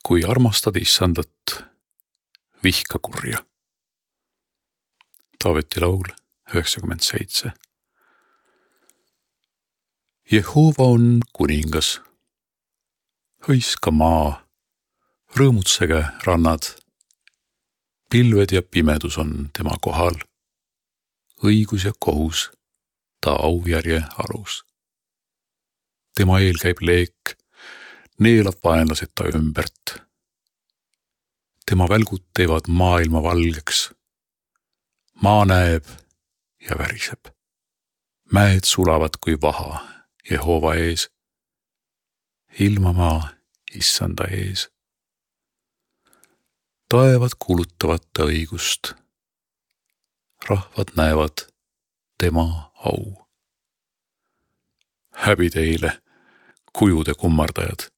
Kui armastad issandat, vihka kurja. Taaveti laul 97. Jehova on kuningas. Hõiska maa, rõõmutsege rannad. Pilved ja pimedus on tema kohal. Õigus ja kohus ta aujärje alus. Tema eel käib leek, neelab vaenlased ta ümbert. Tema välgud teevad maailma valgeks. Maa näeb ja väriseb. Mäed sulavad kui vaha Jehova ees. Ilmamaa issanda ees. Taevad kuulutavad ta õigust. Rahvad näevad tema au. Häbi teile, kujude kummardajad,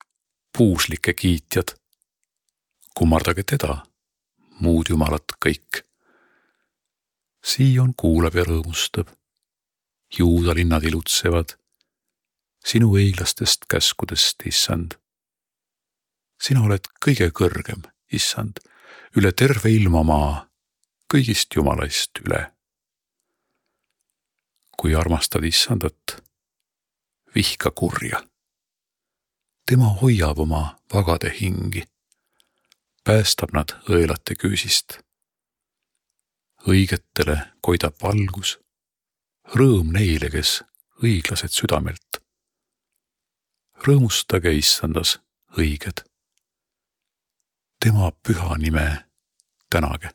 puuslike kiitjad. Kummardage teda, muud jumalad kõik. Sion kuulab ja rõõmustab. Juuda linnad ilutsevad. Sinu õiglastest käskudest, issand. Sina oled kõige kõrgem, issand, üle terve ilmamaa, kõigist jumalaist üle. Kui armastad issandat, vihka kurja. Tema hoiab oma vagade hingi. Päästab nad õelate küüsist. Õigetele koidab valgus. Rõõm neile, kes õiglased südamelt. Rõõmustage issandas õiged. Tema püha nime tänage.